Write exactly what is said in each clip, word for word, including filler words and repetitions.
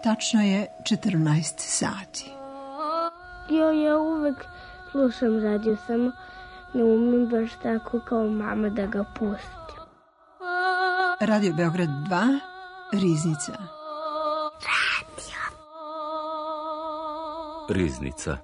Tačno je četrnaest sati. Jo, ja uvek slušam radio, samo ne umem baš tako kao mama da ga pustim. Radio Beograd dva, Riznica. Radio. Riznica.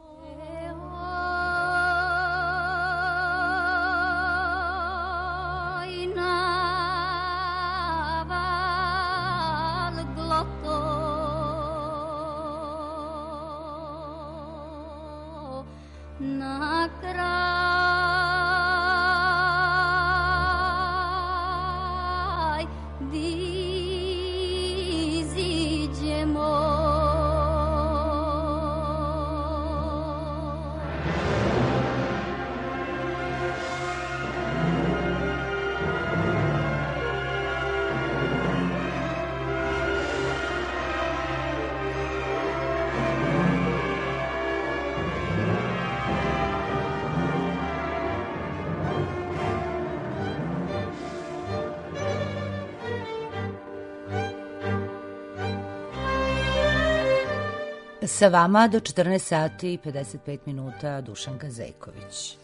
Sa vama do četrnaest sati i pedeset pet minuta Dušanka Zejković.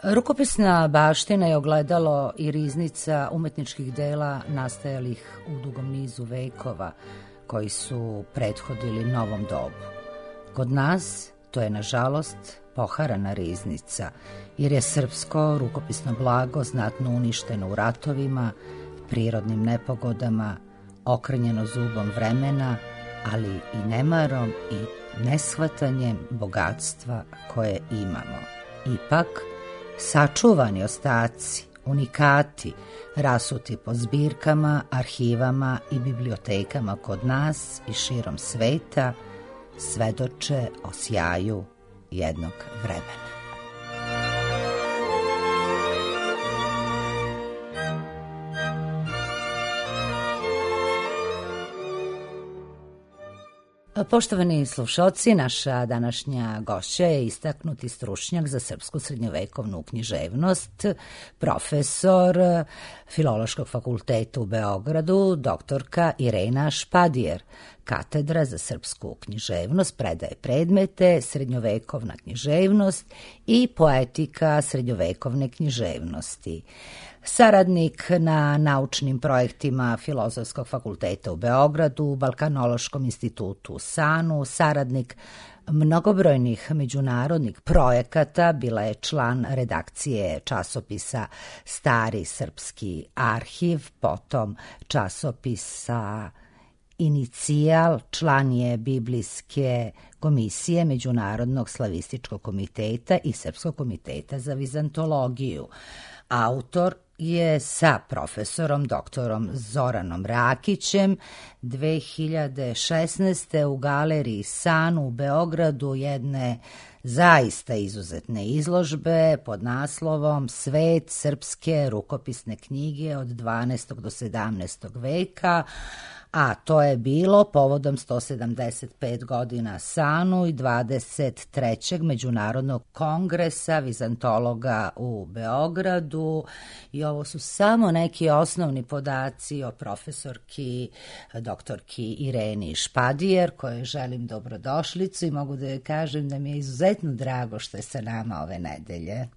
Rukopisna baština je ogledalo i riznica umetničkih dela nastajalih u dugom nizu vekova koji su prethodili novom dobu. Kod nas to je nažalost poharana riznica jer je srpsko rukopisno blago znatno uništeno u ratovima, prirodnim nepogodama, okrnjeno zubom vremena, ali i nemarom i neshvatanjem bogatstva koje imamo. Ipak, sačuvani ostaci, unikati, rasuti po zbirkama, arhivama i bibliotekama kod nas i širom sveta, svedoče o sjaju jednog vremena. Poštovani slušalci, naša današnja gošća je istaknuti stručnjak za srpsku srednjovekovnu književnost, profesor Filološkog fakulteta u Beogradu, doktorka Irena Špadijer. Katedra za srpsku književnost predaje predmete srednjovekovna književnost i poetika srednjovekovne književnosti. Saradnik na naučnim projektima Filozofskog fakulteta u Beogradu, Balkanološkom institutu u Sanu, saradnik mnogobrojnih međunarodnih projekata, bila je član redakcije časopisa Stari srpski arhiv, potom časopisa Inicijal, član je Biblijske komisije Međunarodnog slavističkog komiteta i Srpskog komiteta za vizantologiju. Autor je sa profesorom doktorom Zoranom Rakićem dve hiljade šesnaeste. u galeriji San u Beogradu jedne zaista izuzetne izložbe pod naslovom Svet srpske rukopisne knjige od dvanaestog do sedamnaestog veka, a to je bilo povodom sto sedamdeset pet godina Sanu i dvadeset trećeg Međunarodnog kongresa vizantologa u Beogradu. I ovo su samo neki osnovni podaci o profesorki, doktorki Ireni Špadijer, kojoj želim dobrodošlicu i mogu da joj kažem da mi je izuzetno drago što je sa nama ove nedelje.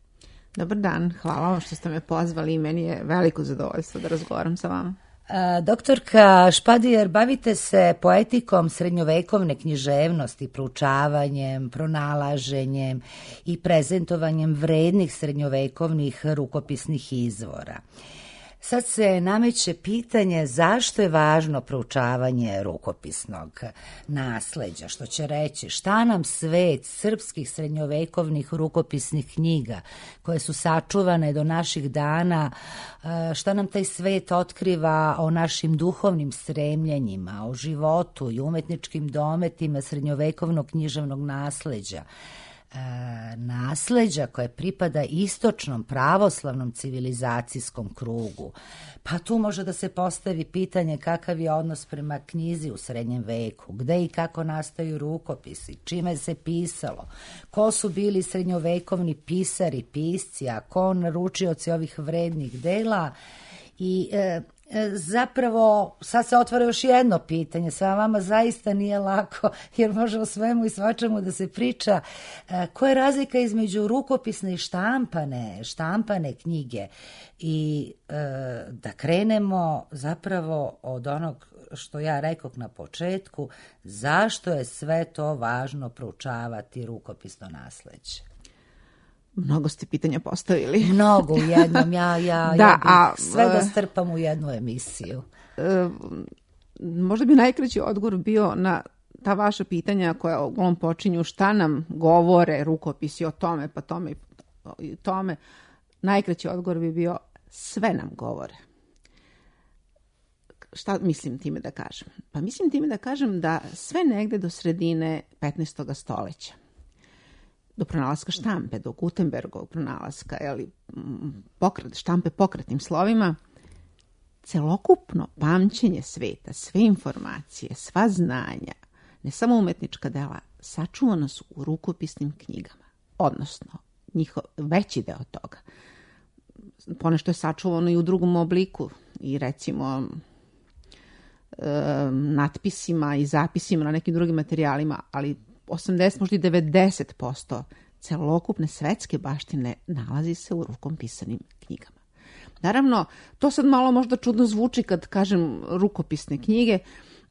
Dobar dan, hvala vam što ste me pozvali i meni je veliko zadovoljstvo da razgovaram sa vama. Doktorka Špadijer, bavite se poetikom srednjovekovne književnosti, proučavanjem, pronalaženjem i prezentovanjem vrednih srednjovekovnih rukopisnih izvora. Sad se nameće pitanje zašto je važno proučavanje rukopisnog nasleđa, što će reći šta nam svet srpskih srednjovekovnih rukopisnih knjiga koje su sačuvane do naših dana, šta nam taj svet otkriva o našim duhovnim stremljenjima, o životu i umetničkim dometima srednjovekovnog književnog nasleđa. Nasleđa koje pripada istočnom pravoslavnom civilizacijskom krugu. Pa tu može da se postavi pitanje kakav je odnos prema knjizi u srednjem veku, gde i kako nastaju rukopisi, čime se pisalo, ko su bili srednjovekovni pisari, pisci, a ko naručioci ovih vrednih dela I e, zapravo sad se otvara još jedno pitanje, sa vama zaista nije lako jer može o svemu i svačemu da se priča. E, koja je razlika između rukopisne i štampane, štampane knjige? I e, da krenemo zapravo od onog što ja rekoh na početku, zašto je sve to važno proučavati rukopisno nasleđe? Mnogo ste pitanja postavili. Mnogo u jednom, ja, ja, da, ja bih a, sve da strpam u jednu emisiju. E, možda bi najkraći odgovor bio na ta vaša pitanja koja uglavnom počinju šta nam govore rukopisi o tome, pa tome i tome. Najkraći odgovor bi bio sve nam govore. Šta mislim time da kažem? Pa mislim time da kažem da sve negde do sredine petnaestog stoleća, do pronalaska štampe, do Gutenbergovog pronalaska, jeli, pokret, štampe pokretnim slovima, celokupno pamćenje sveta, sve informacije, sva znanja, ne samo umetnička dela, sačuvana su u rukopisnim knjigama. Odnosno, njihov veći deo toga. Ponešto je sačuvano i u drugom obliku i recimo natpisima i zapisima na nekim drugim materijalima, ali osamdeset, možda i devedeset posto celokupne svetske baštine nalazi se u rukom pisanim knjigama. Naravno, to sad malo možda čudno zvuči kad kažem rukopisne knjige,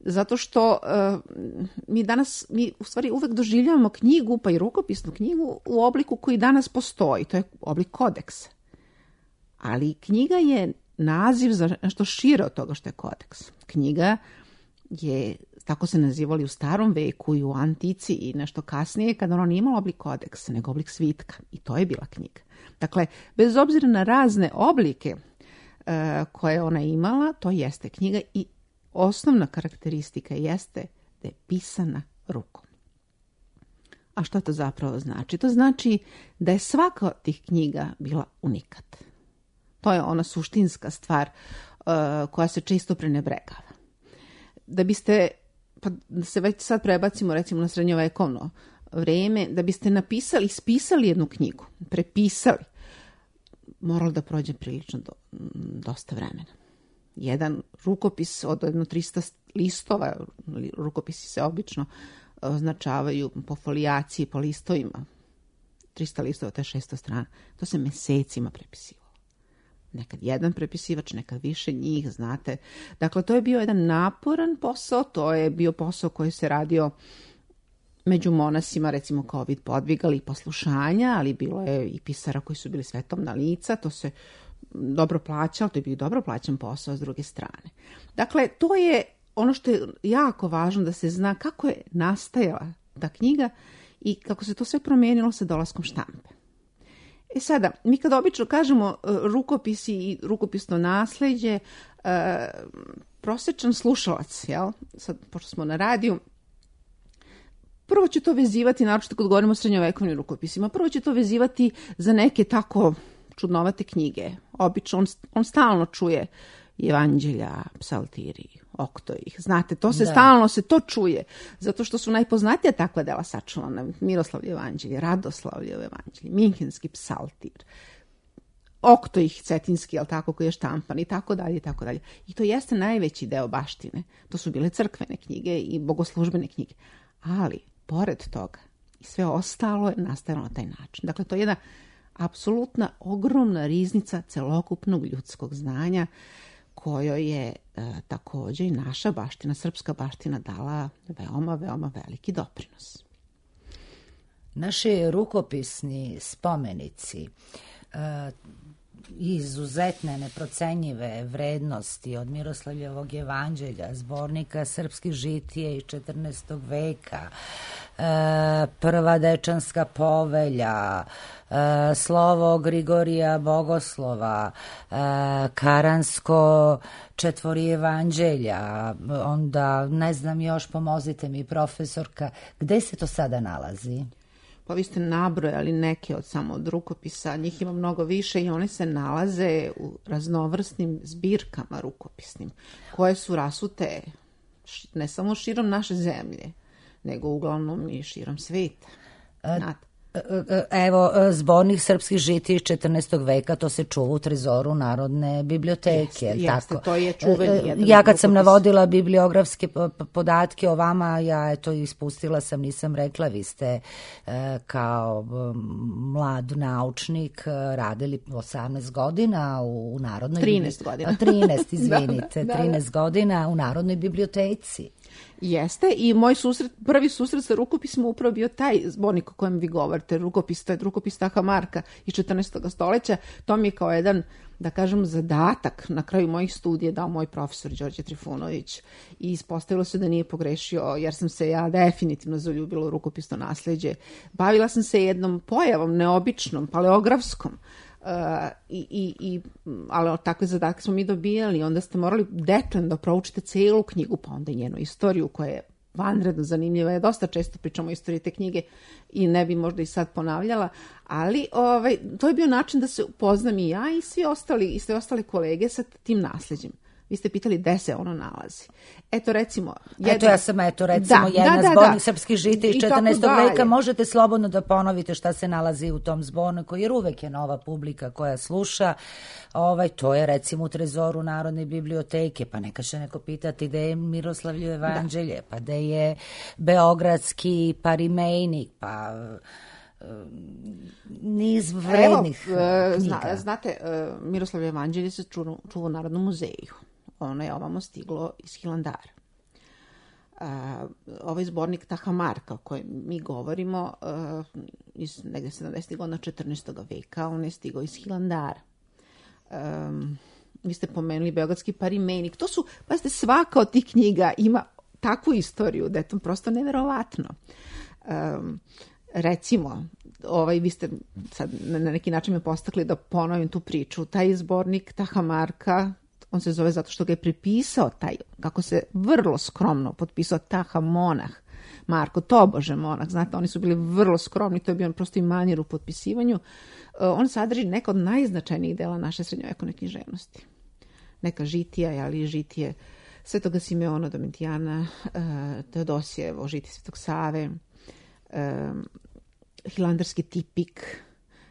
zato što uh, mi danas, mi u stvari uvek doživljavamo knjigu, pa i rukopisnu knjigu u obliku koji danas postoji, to je oblik kodeksa. Ali knjiga je naziv za nešto šire od toga što je kodeks. Knjiga je, tako se nazivali u starom veku i u antici i nešto kasnije, kada ono nije imalo oblik kodeksa, nego oblik svitka. I to je bila knjiga. Dakle, bez obzira na razne oblike uh, koje ona imala, to jeste knjiga i osnovna karakteristika jeste da je pisana rukom. A što to zapravo znači? To znači da je svaka od tih knjiga bila unikat. To je ona suštinska stvar uh, koja se često prenebregava. Da biste, pa da se već sad prebacimo recimo na srednjovekovno vreme, da biste napisali, ispisali jednu knjigu, prepisali, moralo da prođe prilično do, dosta vremena. Jedan rukopis od jedno trista listova, rukopisi se obično označavaju po folijaciji, po listovima, trista listova, to je šesto strana, to se mesecima prepisivalo. Nekad jedan prepisivač, nekad više njih, znate. Dakle, to je bio jedan naporan posao, to je bio posao koji se radio među monasima, recimo kao vid podviga ili poslušanja, ali bilo je i pisara koji su bili svetovna lica, to se dobro plaćalo, to je bio dobro plaćan posao s druge strane. Dakle, to je ono što je jako važno da se zna kako je nastajala ta knjiga i kako se to sve promijenilo sa dolaskom štampe. E sada, mi kad obično kažemo uh, rukopisi i rukopisno nasleđe, uh, prosječan slušalac, jel? Sad, pošto smo na radiju, prvo će to vezivati, naročito kad govorimo o srednjovekovnim rukopisima, prvo će to vezivati za neke tako čudnovate knjige. Obično on, on stalno čuje evanđelja, psaltiri, oktojih. Znate, to se da. Stalno se to čuje, zato što su najpoznatija takva dela sačuvana. Miroslavljevo evanđelje, Radoslavljevo evanđelje, Minhenski psaltir, oktojih cetinski, jel tako, koji je štampan i tako dalje i tako dalje. I to jeste najveći deo baštine. To su bile crkvene knjige i bogoslužbene knjige. Ali, pored toga, i sve ostalo je nastajalo na taj način. Dakle, to je jedna apsolutna, ogromna riznica celokupnog ljudskog znanja kojoj je e, također i naša baština, srpska baština dala veoma, veoma veliki doprinos. Naši rukopisni spomenici e, izuzetne, neprocenjive vrednosti od Miroslavljevog evanđelja, zbornika srpskih žitije iz četrnaestog veka, e, prva dečanska povelja, e, slovo Grigorija Bogoslova, e, Karansko četvori evanđelja, onda ne znam još, pomozite mi profesorka, gde se to sada nalazi? Pa vi ste nabrojali neke od samo od rukopisa, njih ima mnogo više i one se nalaze u raznovrsnim zbirkama rukopisnim, koje su rasute ne samo širom naše zemlje, nego uglavnom i širom sveta. A, Evo, zbornik srpskih žitija iz četrnaestog veka, to se čuva u trezoru Narodne biblioteke. Jeste, tako? jeste, to je čuveni jedan Ja kad sam rukopis. navodila bibliografske podatke o vama, ja eto ispustila sam, nisam rekla, vi ste e, kao mlad naučnik radili osamnaest godina u Narodnoj trinaest godina. trinaest, izvinite, da, da, trinaest godina u Narodnoj biblioteci. Jeste, i moj susret, prvi susret sa rukopisima upravo bio taj zbornik o kojem vi govorite, rukopis, to je rukopis Taha Marka iz četrnaestog stoljeća. To mi je kao jedan, da kažem, zadatak na kraju mojih studija dao moj profesor Đorđe Trifunović i ispostavilo se da nije pogrešio, jer sam se ja definitivno zaljubila u rukopisno nasleđe. Bavila sam se jednom pojavom neobičnom, paleografskom, Uh, i, i, i, ali takve zadatke smo mi dobijali, onda ste morali detaljno da proučite celu knjigu, pa onda i njenu istoriju koja je vanredno zanimljiva. Ja dosta često pričam o istoriji te knjige i ne bi možda i sad ponavljala, ali ovaj, to je bio način da se upoznam i ja i svi ostali, i sve ostale kolege sa tim nasleđem. Vi ste pitali gde se ono nalazi. Eto recimo... Jedan... Eto ja sam, eto recimo da, jedna da, da, zbornik da. Srpskih žitija iz četrnaestog veka. Možete slobodno da ponovite šta se nalazi u tom zborniku, jer uvek je nova publika koja sluša. Ovaj, to je recimo u trezoru Narodne biblioteke, pa neka će neko pitati gde je Miroslavljevo evanđelje, da. Pa gde je Beogradski parimejnik, pa... niz vrednih Evo, knjiga. Zna, znate, Miroslavljevo evanđelje se čuva, čuva u Narodnom muzeju. Ono je ovamo stiglo iz Hilandara. Uh, ovaj zbornik Taha Marka o kojem mi govorimo uh, iz negde sedamdesetih godina četrnaestog veka, on je stigao iz Hilandara. Um, vi ste pomenuli Beogradski parimejnik. To su, pazite, svaka od tih knjiga ima takvu istoriju da je to prosto neverovatno. Um, recimo, ovaj, vi ste sad na neki način me postakli da ponovim tu priču. Taj zbornik Taha Marka, on se zove zato što ga je prepisao taj, kako se vrlo skromno potpisao Taha monah, Marko, tobože monah, znate, oni su bili vrlo skromni, to je bio prosto i manir u potpisivanju. On sadrži neka od najznačajnijih dela naše srednjovekovne književnosti. Neka žitija, ali i žitije Svetoga Simeona Domitijana, Teodosijevo žitije Svetog Save, hilandarski tipik,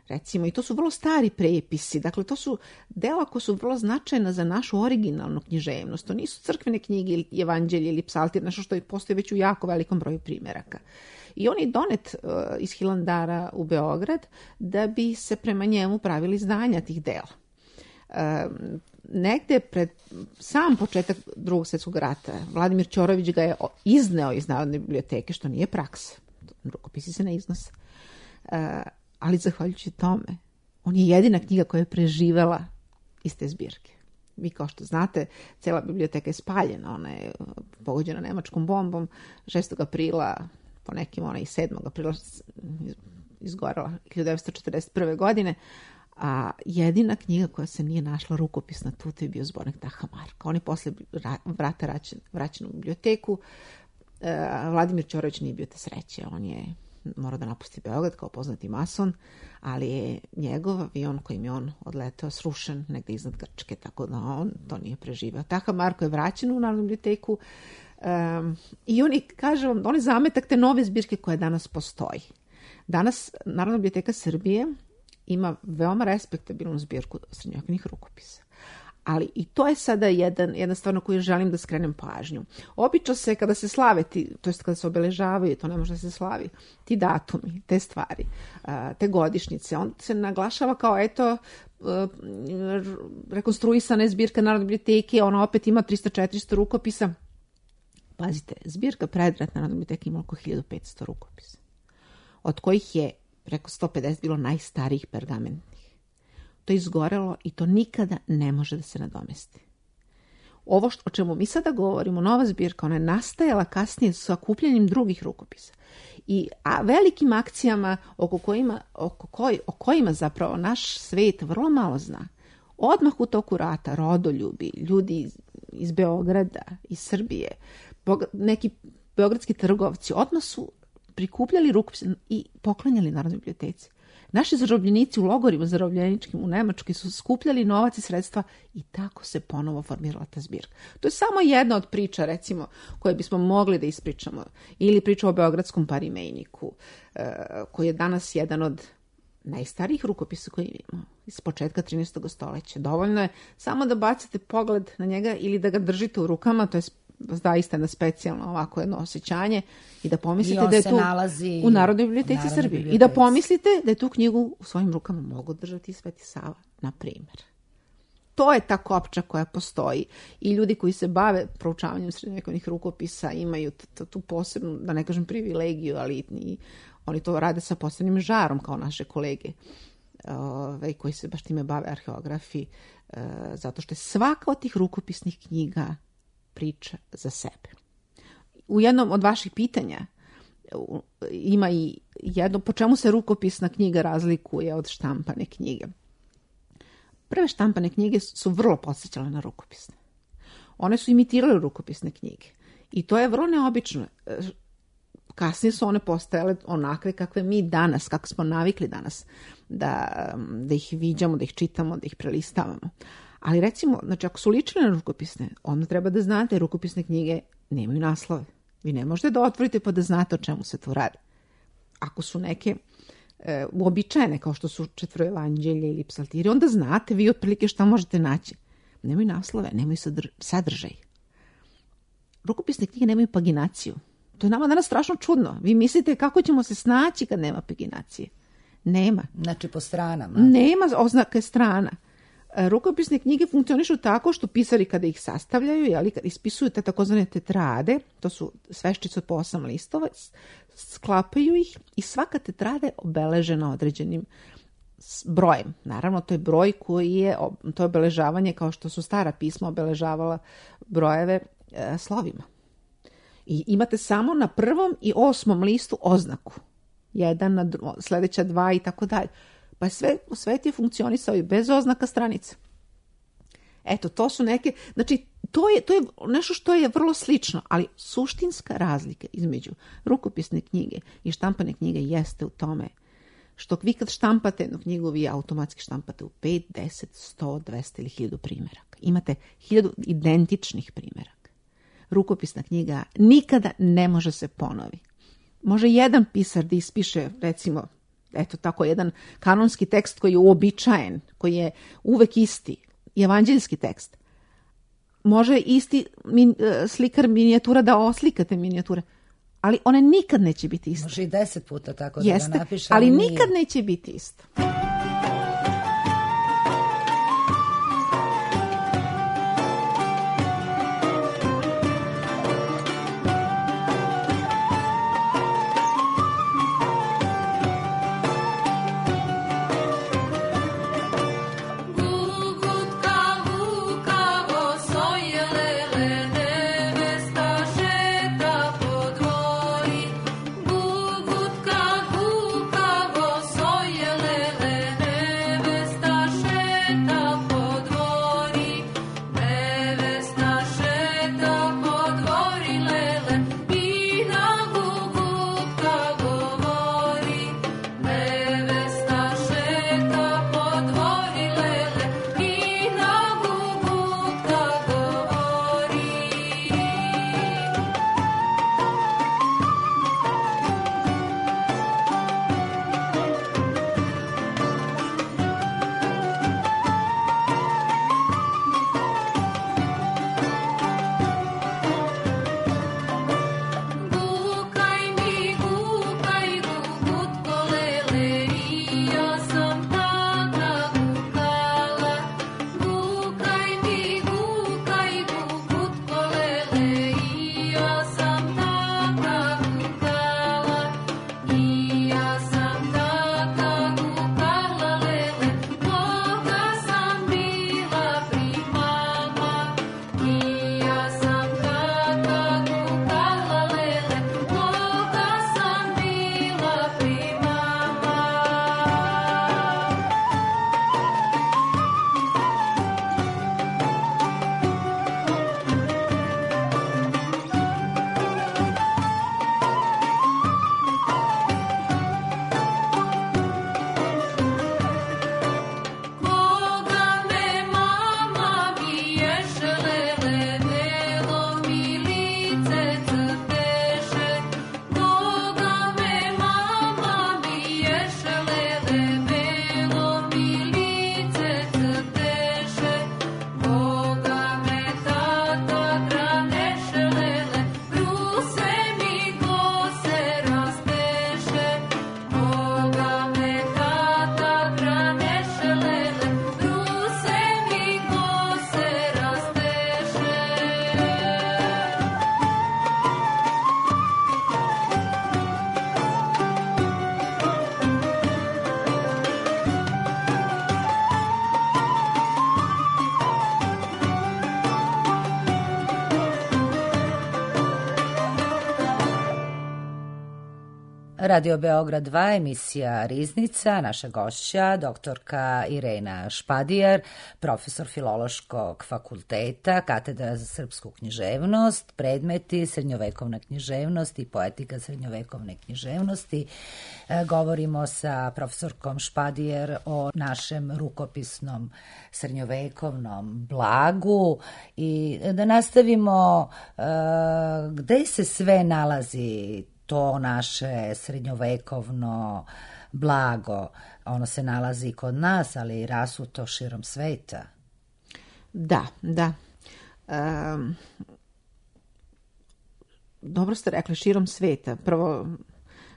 recimo, i to su vrlo stari prepisi, dakle to su dela koja su vrlo značajna za našu originalnu književnost, to nisu crkvene knjige ili evanđelje ili psaltir, nešto što postoji već u jako velikom broju primjeraka. I on je donet uh, iz Hilandara u Beograd da bi se prema njemu pravili izdanja tih dela. Uh, negde pred sam početak Drugog svjetskog rata Vladimir Ćorović ga je izneo iz Narodne biblioteke, što nije praksa. Rukopisi se ne iznose. Uh, ali zahvaljujući tome, on je jedina knjiga koja je preživela iz te zbirke. Vi kao što znate, cela biblioteka je spaljena, ona je pogođena nemačkom bombom, šestog aprila, po nekim ona i sedmog aprila izgorela hiljadu devetsto četrdeset prve godine, a jedina knjiga koja se nije našla rukopisna tu, to je bio zbornik Taha Marka. On je posle vrata vraćen, vraćen u biblioteku. Uh, Vladimir Ćorović nije bio te sreće, on je morao da napusti Beograd kao poznati mason, ali je njegov avion kojim je on odleteo srušen negde iznad Grčke, tako da on to nije preživeo. Taha Marko je vraćen u Narodnu biblioteku um, i oni, kaže vam, on je zametak te nove zbirke koja danas postoji. Danas Narodna biblioteka Srbije ima veoma respektabilnu zbirku srednjovekovnih rukopisa. Ali i to je sada jedan, jedna stvar na koju želim da skrenem pažnju. Obično se kada se slave, ti, to jest kada se obeležavaju, to ne može da se slavi, ti datumi, te stvari, te godišnjice, on se naglašava kao eto rekonstruisana je zbirka Narodne biblioteke, ona opet ima trista četiristo rukopisa. Pazite, zbirka predratna Narodne biblioteke ima oko hiljadu petsto rukopisa, od kojih je preko sto pedeset bilo najstarijih pergamentnih. To je izgorelo i to nikada ne može da se nadomesti. Ovo što, o čemu mi sada govorimo, nova zbirka, ona je nastajala kasnije sa okupljanjem drugih rukopisa. I a velikim akcijama oko kojima, oko koj, o kojima zapravo naš svet vrlo malo zna. Odmah u toku rata rodoljubi, ljudi iz, iz Beograda, iz Srbije, neki beogradski trgovci, odmah su prikupljali rukopise i poklanjali Narodnoj biblioteci. Naši zarobljenici u logorima zarobljeničkim u Nemačkoj su skupljali novac i sredstva i tako se ponovo formirala ta zbirka. To je samo jedna od priča, recimo, koje bismo mogli da ispričamo. Ili priča o beogradskom parimejniku, koji je danas jedan od najstarijih rukopisa koje imamo, iz početka trinaestog stoljeća. Dovoljno je samo da bacite pogled na njega ili da ga držite u rukama, to je zaista na specijalno ovako jedno osjećanje i da pomislite da je tu u Narodnoj biblioteci Srbije i da pomislite da je tu knjigu u svojim rukama mogu držati Sveti Sava, na primjer. To je ta kopča koja postoji i ljudi koji se bave proučavanjem srednjovekovnih rukopisa imaju tu posebnu, da ne kažem privilegiju, ali i oni to rade sa posebnim žarom kao naše kolege ove, koji se baš time bave arheografi, e, zato što je svaka od tih rukopisnih knjiga priča za sebe. U jednom od vaših pitanja ima i jedno, po čemu se rukopisna knjiga razlikuje od štampane knjige. Prve štampane knjige su vrlo podsjećale na rukopisne. One su imitirale rukopisne knjige. I to je vrlo neobično. Kasnije su one postajale onakve kakve mi danas, kako smo navikli danas, da, da ih viđamo, da ih čitamo, da ih prelistavamo. Ali recimo, znači ako su ličile na rukopisne, onda treba da znate, rukopisne knjige nemaju naslove. Vi ne možete da otvorite pa da znate o čemu se tu radi. Ako su neke e, uobičajene, kao što su četvroevanđelje ili psaltiri, onda znate vi otprilike šta možete naći. Nemaju naslove, nemaju sadr- sadržaj. Rukopisne knjige nemaju paginaciju. To je nama danas strašno čudno. Vi mislite kako ćemo se snaći kad nema paginacije. Nema. Znači po stranama. Nema oznake strana. Rukopisne knjige funkcionišu tako što pisari kada ih sastavljaju, jeli, kad ispisuju te takozvane tetrade, to su sveščice od po osam listova, sklapaju ih i svaka tetrada je obeležena određenim brojem. Naravno, to je broj koji je, to je obeležavanje kao što su stara pisma obeležavala brojeve e, slovima. I imate samo na prvom i osmom listu oznaku. Jedan, na dru- sljedeća dva i tako dalje. Pa sve u svetu je funkcionisao i bez oznaka stranica. Eto, to su neke, znači, to je, to je nešto što je vrlo slično, ali suštinska razlika između rukopisne knjige i štampane knjige jeste u tome što vi kad štampate jednu knjigu, vi automatski štampate u pet, deset, sto, dvesta ili hiljadu primjeraka. Imate hiljadu identičnih primjeraka. Rukopisna knjiga nikada ne može se ponovi. Može jedan pisar da ispiše, recimo, eto tako, jedan kanonski tekst koji je uobičajen, koji je uvek isti, evanđeljski tekst. Može isti min, slikar minijatura da oslikate minijature, ali one nikad neće biti iste. Može i deset puta tako da Jeste, ga napiše. ali nije. nikad neće biti isto. Gugutka, gukavo, soj Radio Beograd dva, emisija Riznica, naša gošća, doktorka Irena Špadijar, profesor Filološkog fakulteta, katedra za srpsku književnost, predmeti srednjovekovna književnost i poetika srednjovekovne književnosti. E, govorimo sa profesorkom Špadijar o našem rukopisnom srednjovekovnom blagu i da nastavimo e, gde se sve nalazi to naše srednjovekovno blago. Ono se nalazi kod nas, ali i rasuto širom sveta. Da, da. Um, dobro ste rekli, širom sveta. Prvo,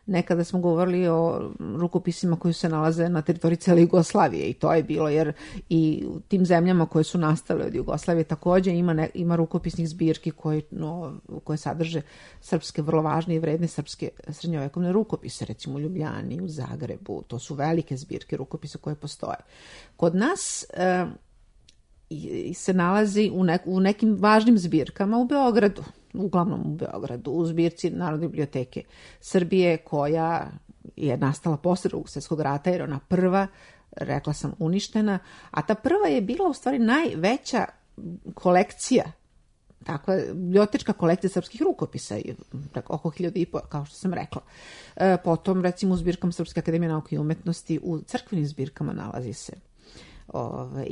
nekada smo govorili o rukopisima koji se nalaze na teritoriji cele Jugoslavije i to je bilo, jer i u tim zemljama koje su nastale od Jugoslavije takođe ima, ne, ima rukopisnih zbirki koje, no, koje sadrže srpske, vrlo važne i vredne srpske srednjovekovne rukopise, recimo u Ljubljani, u Zagrebu, to su velike zbirke rukopisa koje postoje. Kod nas e, se nalazi u, ne, u nekim važnim zbirkama u Beogradu, uglavnom u Beogradu, u zbirci Narodne biblioteke Srbije, koja je nastala posle Drugog svjetskog rata, jer ona prva, rekla sam, uništena, a ta prva je bila u stvari najveća kolekcija, takva bibliotečka kolekcija srpskih rukopisa, oko hiljadu i po, kao što sam rekla. E, potom, recimo, u zbirkama Srpske akademije nauke i umetnosti, u crkvenim zbirkama nalazi se Ove,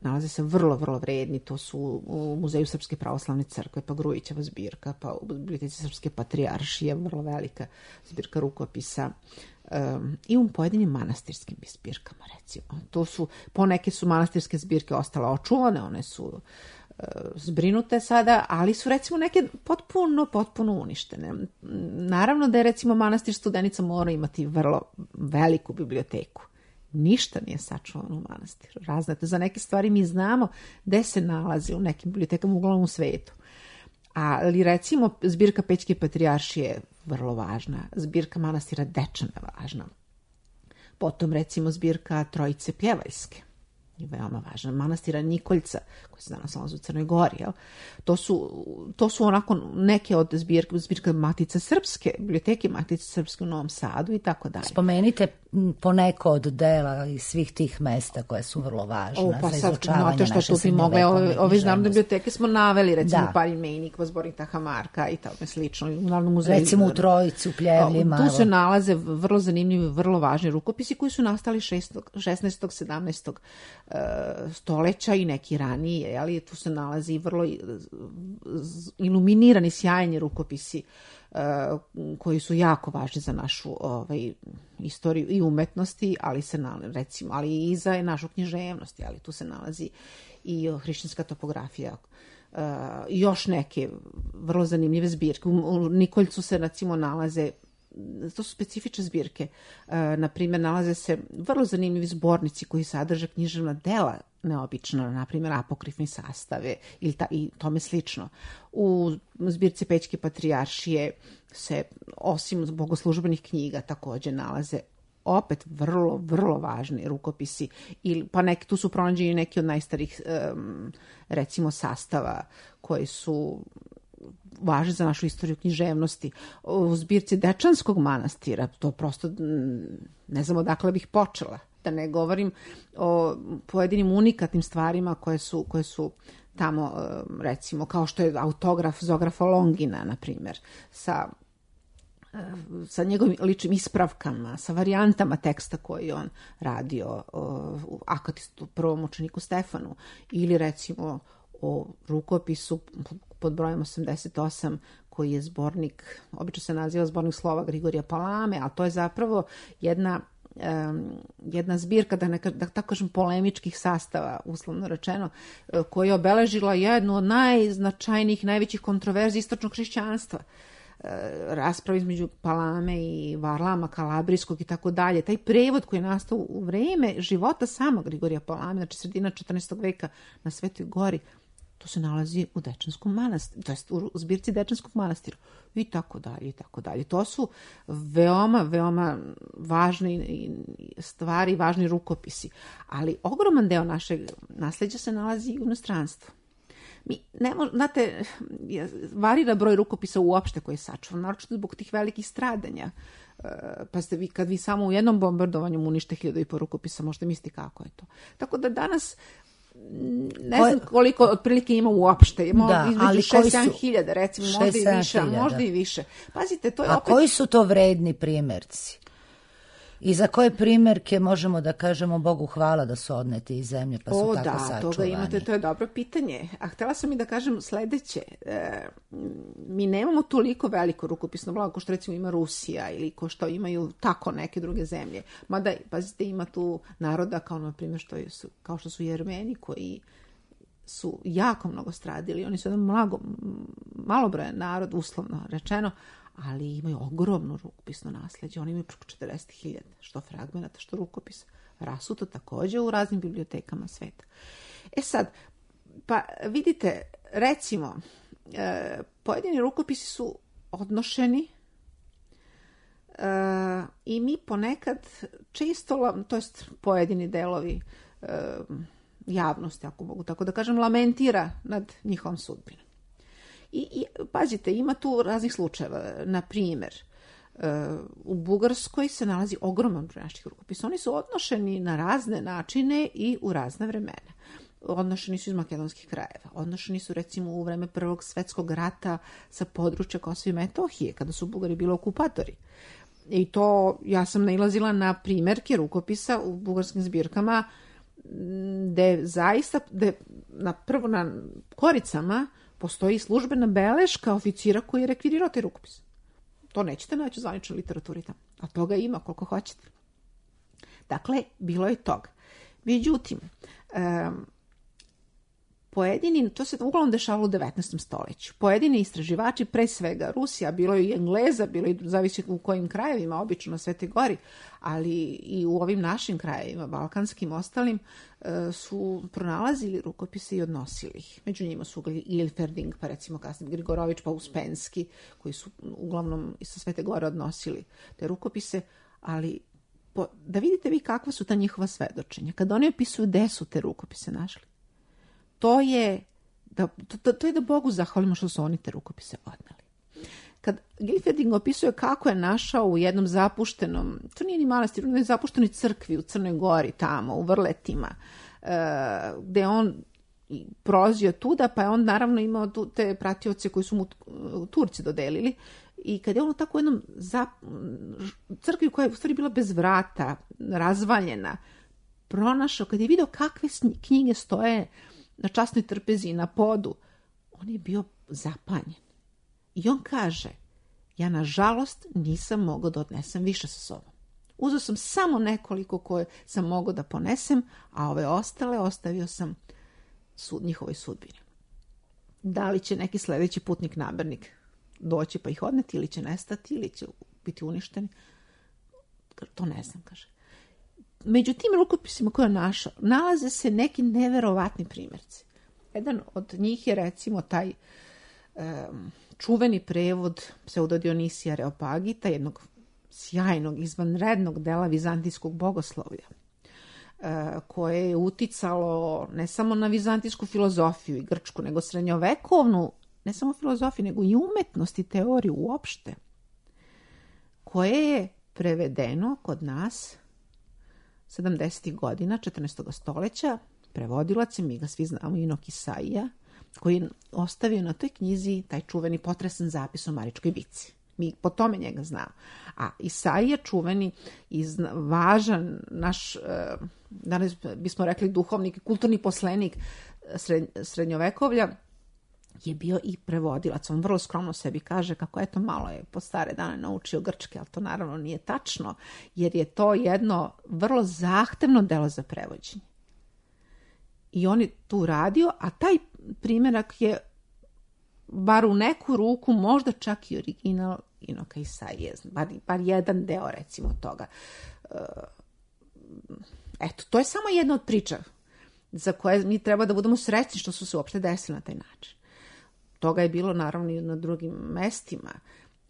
nalaze se vrlo, vrlo vredni, to su u Muzeju Srpske pravoslavne crkve, pa Grujićeva zbirka, pa u Biblioteci Srpske patrijaršije, vrlo velika zbirka rukopisa, um, i u pojedinim manastirskim zbirkama, recimo. To su, poneke su manastirske zbirke ostale očuvane, one su uh, zbrinute sada, ali su, recimo, neke potpuno, potpuno uništene. Naravno da je, recimo, manastir Studenica mora imati vrlo veliku biblioteku. Ništa nije sačuvano u manastiru. Raznate, za neke stvari mi znamo gde se nalazi u nekim bibliotekama, uglavnom u svetu. Ali, recimo, zbirka Pećke patrijaršije je vrlo važna, zbirka manastira Dečana je važna. Potom, recimo, zbirka Trojice Pjevaljske je veoma važna. Manastira Nikoljca, koji se danas nalazi u Crnoj Gori. Jel? To su, to su onako neke od zbirka, zbirka Matice Srpske, biblioteke Matice Srpske u Novom Sadu i tako dalje. Spomenite poneko od dela iz svih tih mesta koje su vrlo važna o, pa za izučavanje naše srednjovekovne književnosti. Ove iz Narodne biblioteke smo naveli, recimo da. Palj Mejnik, Zbornik Tahamarka i tome slično. U Narodnom muzeju. Recimo u Trojici, u Pljevljima. Tu se nalaze vrlo zanimljivi, vrlo važni rukopisi koji su nastali šesnaestog sedamnaestog stoleća i neki ranije, ali tu se nalazi vrlo iluminirani, sjajni rukopisi uh, koji su jako važni za našu ovaj, istoriju i umetnosti, ali se nalazi, recimo, ali i za našu književnost, ali tu se nalazi i hrišćanska topografija, uh, i još neke vrlo zanimljive zbirke. U, u Nikoljcu se, recimo, nalaze, to su specifične zbirke. E, na primjer, nalaze se vrlo zanimljivi zbornici koji sadrže književna dela neobično, na primjer, apokrifni sastave ili ta, i tome slično. U zbirci Pećke patrijaršije se, osim bogoslužbenih knjiga, također nalaze opet vrlo, vrlo važni rukopisi. Ili, pa neki, tu su pronađeni neki od najstarijih, um, recimo, sastava koji su važni za našu istoriju književnosti. U zbirci Dečanskog manastira, to prosto ne znam odakle bih počela. Da ne govorim o pojedinim unikatnim stvarima koje su, koje su tamo, recimo, kao što je autograf Zografa Longina, na primjer, sa sa njegovim ličnim ispravkama, sa varijantama teksta koji on radio u Akatistu, prvom učeniku Stefanu, ili recimo o rukopisu pod brojem osamdeset osam, koji je zbornik, obično se naziva zbornik slova Grigorija Palame, a to je zapravo jedna, um, jedna zbirka, da, ne, da tako kažem, polemičkih sastava, uslovno rečeno, koja je obeležila jednu od najznačajnijih, najvećih kontroverzi istočnog hrišćanstva. Rasprava između Palame i Varlama Kalabrijskog i tako dalje. Taj prevod koji je nastao u vreme života samog Grigorija Palame, znači sredina četrnaestog veka na Svetoj Gori, to se nalazi u Dečanskom manastiru, to jest u zbirci Dečanskog manastira i tako dalje i tako dalje. To su veoma, veoma važne stvari, važni rukopisi, ali ogroman deo našeg nasleđa se nalazi u inostranstvu. Mi ne možemo, znate, varira broj rukopisa uopšte koji je sačuvan, naročito zbog tih velikih stradanja. Pa ste vi, kad vi samo u jednom bombardovanju unište hiljadu i po rukopisa, možete misliti kako je to. Tako da danas ne znam koliko otprilike ima uopšte. Ima da, između šest sedam hiljada, recimo, možda i više, možda i više. Pazite, to je A opet... koji su to vredni primjerci? I za koje primjerke možemo da kažemo Bogu hvala da su odneti iz zemlje pa su o, tako da, sačuvani? O da, toga imate, to je dobro pitanje. A htjela sam i da kažem sledeće. E, mi nemamo toliko veliko rukopisno blago ko što recimo ima Rusija ili ko što imaju tako neke druge zemlje. Mada, pazite, ima tu naroda kao na primjer što su, kao što su Jermeni koji su jako mnogo stradili. Oni su jedan mnogo, malobrojan narod, uslovno rečeno, ali imaju ogromno rukopisno nasleđe. Oni imaju preko četrdeset hiljada, što fragmenata, što rukopisa. Rasuto također u raznim bibliotekama sveta. E sad, pa vidite, recimo, e, pojedini rukopisi su odnošeni e, i mi ponekad često, to jest pojedini delovi e, javnosti, ako mogu tako da kažem, lamentira nad njihovom sudbinom. I, I, pazite, ima tu raznih slučajeva. Na primjer, u Bugarskoj se nalazi ogroman broj naših rukopisa. Oni su odnošeni na razne načine i u razne vremena. Odnošeni su iz makedonskih krajeva. Odnošeni su recimo u vreme Prvog svjetskog rata sa područja Kosova i Metohije, kada su Bugari bili okupatori. I to, ja sam nailazila na primjerke rukopisa u bugarskim zbirkama gde zaista, gde na prvo na koricama postoji službena beleška oficira koji je rekvirirao taj rukopis. To nećete naći u zvaničnoj literaturi tamo. A toga ima koliko hoćete. Dakle, bilo je toga. Međutim, um, pojedini, to se uglavnom dešavalo u devetnaestom stoljeću. Pojedini istraživači, pre svega Rusija, bilo je i Engleza, bilo je zavisi u kojim krajevima, obično na Svetoj Gori, ali i u ovim našim krajevima, balkanskim ostalim, su pronalazili rukopise i odnosili ih. Među njima su Ilferding, pa recimo kasnije Grigorović, pa Uspenski, koji su uglavnom sa Svete Gore odnosili te rukopise, ali po, da vidite vi kakva su ta njihova svedočenja. Kada oni opisuju gde su te rukopise našli, to je da, to, to je da Bogu zahvalimo što su oni te rukopise odneli. Kad Gilferding opisuje kako je našao u jednom zapuštenom, to nije ni manastir, u jednoj zapuštenoj crkvi u Crnoj Gori, tamo, u Vrletima, uh, gde on prolazio tuda, pa je on naravno imao tu, te pratioce koji su mu Turci dodelili. I kad je on u tako jednom zap, crkvi koja je u stvari bila bez vrata, razvaljena, pronašao, kad je vidio kakve knjige stoje na časnoj trpezi i na podu, on je bio zapanjen. I on kaže, ja nažalost nisam mogao da odnesem više sa sobom. Uzeo sam samo nekoliko koje sam mogao da ponesem, a ove ostale ostavio sam sud, njihovoj sudbini. Da li će neki sledeći putnik namernik doći pa ih odneti, ili će nestati, ili će biti uništeni, to ne znam, kaže. Među tim rukopisima koje je našao, nalaze se neki neverovatni primjerci. Jedan od njih je recimo taj um, čuveni prevod Pseudodionisija Areopagita, jednog sjajnog, izvanrednog dela vizantijskog bogoslovlja, uh, koje je uticalo ne samo na vizantijsku filozofiju i grčku, nego srednjovekovnu, ne samo filozofiju, nego i umetnost i teoriju uopšte, koje je prevedeno kod nas sedamdesetih godina četrnaestog stoljeća, prevodilac je, mi ga svi znamo, Inok Isaija, koji je ostavio na toj knjizi taj čuveni potresan zapis o Maričkoj bici. Mi po tome njega znamo. A Isaija, čuveni i važan naš, danas bismo rekli duhovnik, kulturni poslenik srednjovekovlja, je bio i prevodilac. On vrlo skromno sebi kaže kako eto malo je po stare dane naučio grčke, ali to naravno nije tačno, jer je to jedno vrlo zahtevno delo za prevođenje. I on je tu radio, a taj primjerak je bar u neku ruku, možda čak i original Inoka Isaije, bar, bar jedan deo recimo toga. Eto, to je samo jedna od priča za koje mi treba da budemo srećni što su se uopšte desili na taj način. Toga je bilo naravno i na drugim mestima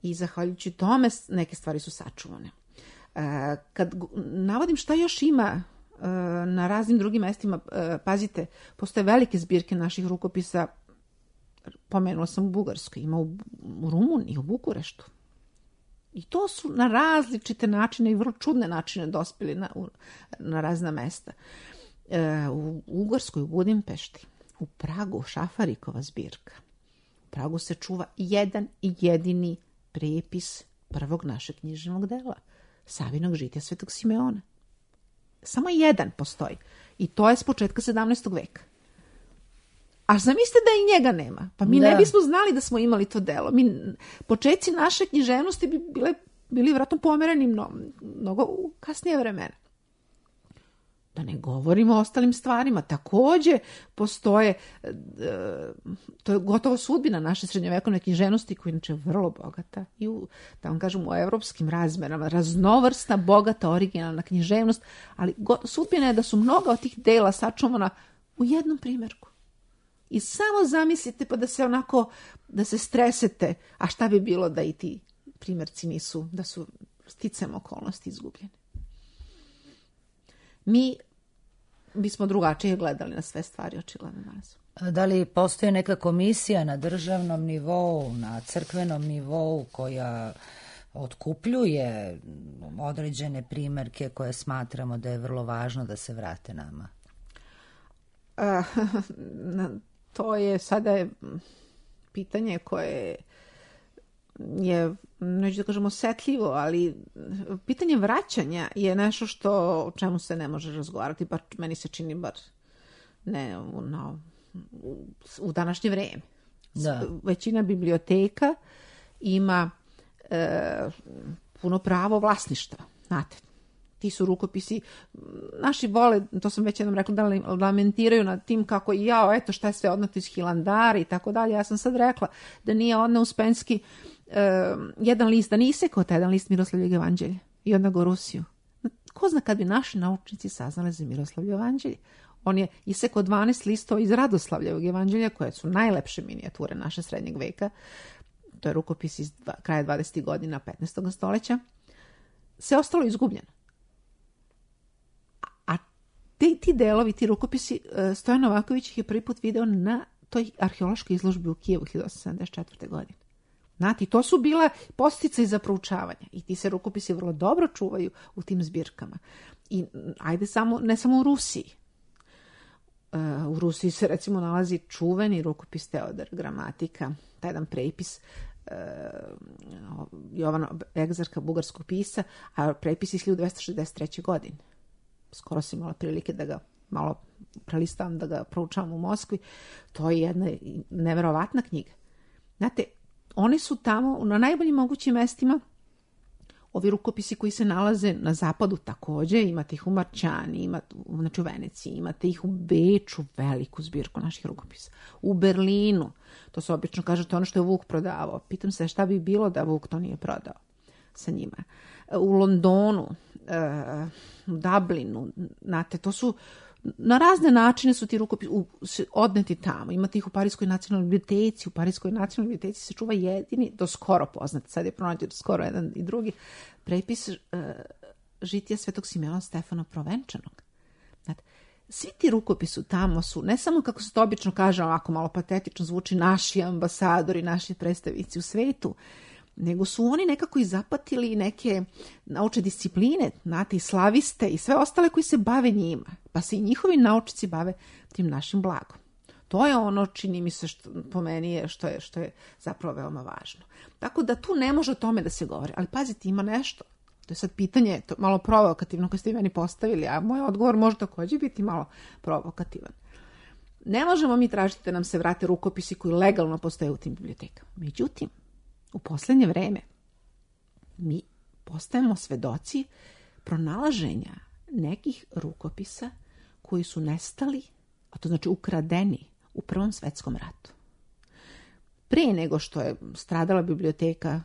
i zahvaljujući tome neke stvari su sačuvane. E, kad navodim šta još ima e, na raznim drugim mestima, e, pazite, postoje velike zbirke naših rukopisa pomenula sam u Bugarskoj, ima u, u Rumuniji, u Bukureštu. I to su na različite načine i vrlo čudne načine dospjeli na, na razna mesta. E, u Ugarskoj, u Budimpešti, u Pragu, Šafarikova zbirka. U Pragu se čuva jedan i jedini prepis prvog našeg književnog dela, Savinog žitija Svetog Simeona. Samo jedan postoji. I to je s početka sedamnaestog veka. A zamislite da i njega nema. Pa mi da. ne bismo znali da smo imali to delo. Mi, početci naše književnosti bi bile, bili vjerojatno pomereni mnogo, mnogo u kasnije vremena. Da ne govorimo o ostalim stvarima. Također postoje, e, to je gotovo sudbina naše srednjovekovne književnosti, koja je inače vrlo bogata i u, da vam kažem, u evropskim razmerama, raznovrsna, bogata, originalna književnost, ali go, sudbina je da su mnoga od tih dela sačuvana u jednom primjerku. I samo zamislite pa da se onako, da se stresete, a šta bi bilo da i ti primjerci nisu, da su sticam okolnosti izgubljeni. Mi bismo drugačije gledali na sve stvari, očigledno danas. Da li postoji neka komisija na državnom nivou, na crkvenom nivou koja otkupljuje određene primjerke koje smatramo da je vrlo važno da se vrate nama? Uh, to je sada je pitanje koje je, neću da kažem osetljivo, ali pitanje vraćanja je nešto što, o čemu se ne može razgovarati, bar meni se čini bar ne no, u, u današnje vrijeme. Da. Većina biblioteka ima e, puno pravo vlasništva, znate. Ti su rukopisi, naši vole, to sam već jednom rekla, da lamentiraju nad tim kako jao, eto šta je sve odneto iz Hilandara i tako dalje. Ja sam sad rekla da nije odneo Uspenski uh, jedan list, da nije isekao taj jedan list Miroslavljevog evanđelja i odneo ga u Rusiju. Ko zna kad bi naši naučnici saznali za Miroslavljevo evanđelje? On je isekao dvanaest listova iz Radoslavljevog evanđelja, koje su najlepše minijature naše srednjeg veka. To je rukopis iz dva, kraja dvadesetih godina petnaestog stoljeća. Sve ostalo izgubljeno. Ti, ti delovi, ti rukopisi, Stojan Novaković ih je prvi put video na toj arheološkoj izložbi u Kijevu hiljadu osamsto sedamdeset četvrte. godine. Znate, to su bila postice za proučavanja i ti se rukopisi vrlo dobro čuvaju u tim zbirkama. I ajde samo, ne samo u Rusiji. U Rusiji se recimo nalazi čuveni rukopis Teodor Gramatika, taj jedan prepis Jovana Egzarka, bugarskog pisa, a prepis iz hiljadu dvesta šezdeset treće. godine. Skoro sam imala prilike da ga malo prelistavam, da ga proučavam u Moskvi. To je jedna neverovatna knjiga. Znate, oni su tamo na najboljim mogućim mestima. Ovi rukopisi koji se nalaze na zapadu također, imate ih u Marčani, imate, znači u Veneciji, imate ih u Beču, veliku zbirku naših rukopisa. U Berlinu, to se obično kaže, to je ono što je Vuk prodavao. Pitam se šta bi bilo da Vuk to nije prodao sa njima. U Londonu, u Dublinu, znate, to su, na razne načine su ti rukopisi odneti tamo. Imate ih u Parijskoj nacionalnoj biblioteci, u Parijskoj nacionalnoj biblioteci se čuva jedini, do skoro poznat, sad je pronađen skoro jedan i drugi, prepis uh, žitija Svetog Simeona Stefana Provenčanog. Znate, svi ti rukopisi tamo su, ne samo kako se to obično kaže, ovako malo patetično zvuči, naši ambasadori, naši predstavnici u svetu, nego su oni nekako i zapatili neke naučne discipline, znate, i slaviste i sve ostale koji se bave njima, pa se i njihovi naučnici bave tim našim blagom. To je ono, čini mi se, što, po meni je što, je, što je zapravo veoma važno. Tako da tu ne može o tome da se govori, ali pazite, ima nešto. To je sad pitanje, to malo provokativno koje ste meni postavili, a moj odgovor može također biti malo provokativan. Ne možemo mi tražiti da nam se vrate rukopisi koji legalno postoje u tim bibliotekama. Međutim, u posljednje vreme mi postajemo svedoci pronalaženja nekih rukopisa koji su nestali, a to znači ukradeni u Prvom svjetskom ratu. Prije nego što je stradala biblioteka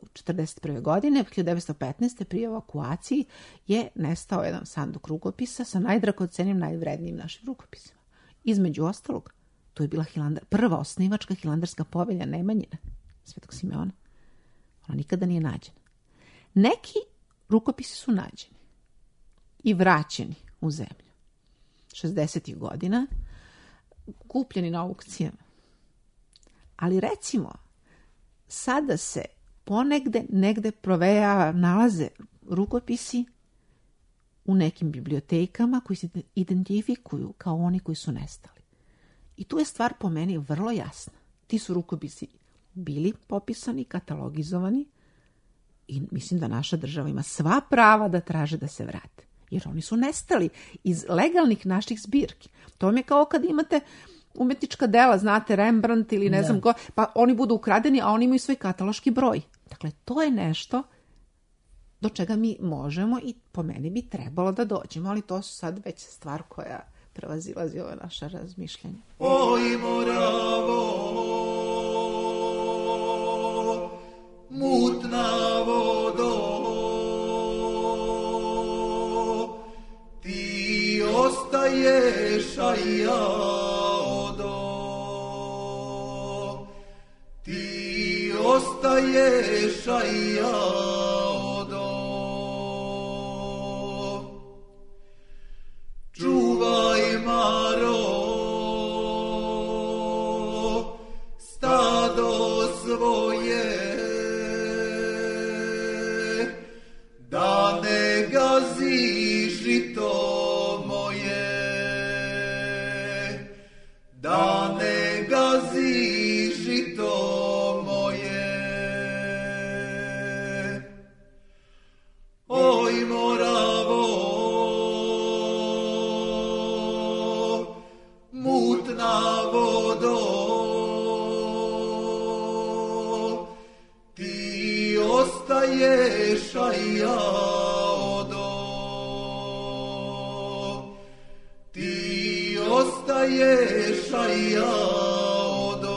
u četrdeset prve. godine, hiljadu devetsto petnaeste. prije evakuaciji je nestao jedan sanduk rukopisa sa najdragocenijim, najvrednijim našim rukopisima. Između ostalog, to je bila Hilandar, prva osnivačka hilandarska povelja Nemanjina, Svetog Simeona. Ona nikada nije nađena. Neki rukopisi su nađeni i vraćeni u zemlju. šezdesetih godina, kupljeni na aukcijama. Ali recimo, sada se ponegde, negde proveja, nalaze rukopisi u nekim bibliotekama koji se identifikuju kao oni koji su nestali. I tu je stvar po meni vrlo jasna. Ti su rukopisi bili popisani, katalogizovani i mislim da naša država ima sva prava da traže da se vrate. Jer oni su nestali iz legalnih naših zbirki. To vam je kao kad imate umetnička dela, znate, Rembrandt ili ne da. znam ko, pa oni budu ukradeni, a oni imaju svoj kataloški broj. Dakle, to je nešto do čega mi možemo i po meni bi trebalo da dođemo, ali to su sad već stvar koja prevazilazi ove naše razmišljanje. Oj, Moravo, mutna vodo, ti ostaješ, a ja odo. Ti ostaješ, a ja odo. Čuvaj, Maro, stado svoje, da ne gazi žito moje, da ne gazi žito moje. Oj, Moravo, mutna vodo, ti ostaješ, a ja odo. Ti ostaješ, a ja odo.